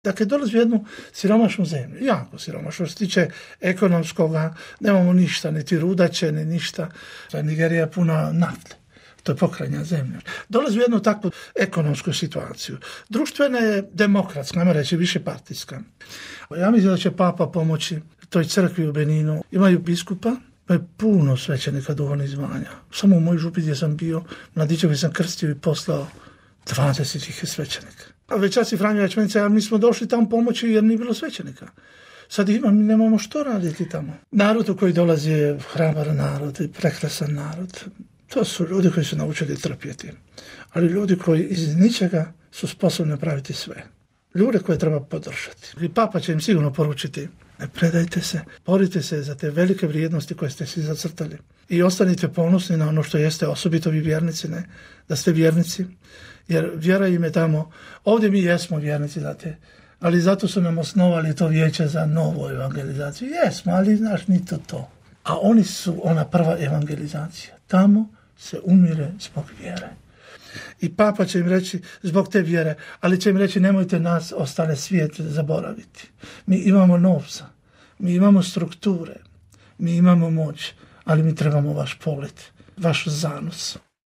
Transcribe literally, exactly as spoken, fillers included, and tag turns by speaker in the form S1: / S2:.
S1: Dakle, dolazi u jednu siromašnu zemlju, jako siromašnu, što se tiče ekonomskoga, nemamo ništa, niti rudače, ni ništa. Nigerija je puna nafte, to je pokrajnja zemlja. Dolazi u jednu takvu ekonomsku situaciju. Društvena je demokratska, nema reći, više partijska. Ja mislim da će Papa pomoći toj crkvi u Beninu. Imaju biskupa, imaju puno svećenika duhovnih zvanja. Samo u moj župi gdje sam bio, mladićevi sam krstio i poslao dvadeset ih je svećenika. A večasi Franjo Jačmenica, mi smo došli tamo pomoći jer nije bilo svećenika. Sad ima, mi nemamo što raditi tamo. Narod u koji dolazi je hrabar narod i prekrasan narod. To su ljudi koji su naučili trpjeti. Ali ljudi koji iz ničega su sposobni napraviti sve. Ljude koje treba podržati. I Papa će im sigurno poručiti: ne predajte se, borite se za te velike vrijednosti koje ste si zacrtali. I ostanite ponosni na ono što jeste, osobito vi vjernici, ne, da ste vjernici. Jer vjera im je tamo, ovdje mi jesmo vjernici, znate, ali zato su nam osnovali to vijeće za novu evangelizaciju. Jesmo, ali znaš, ni to to. A oni su ona prva evangelizacija. Tamo se umire zbog vjere. I Papa će im reći zbog te vjere, ali će im reći: nemojte nas ostale svijete zaboraviti. Mi imamo novca, mi imamo strukture, mi imamo moć, ali mi trebamo vaš pogled, vaš zanos.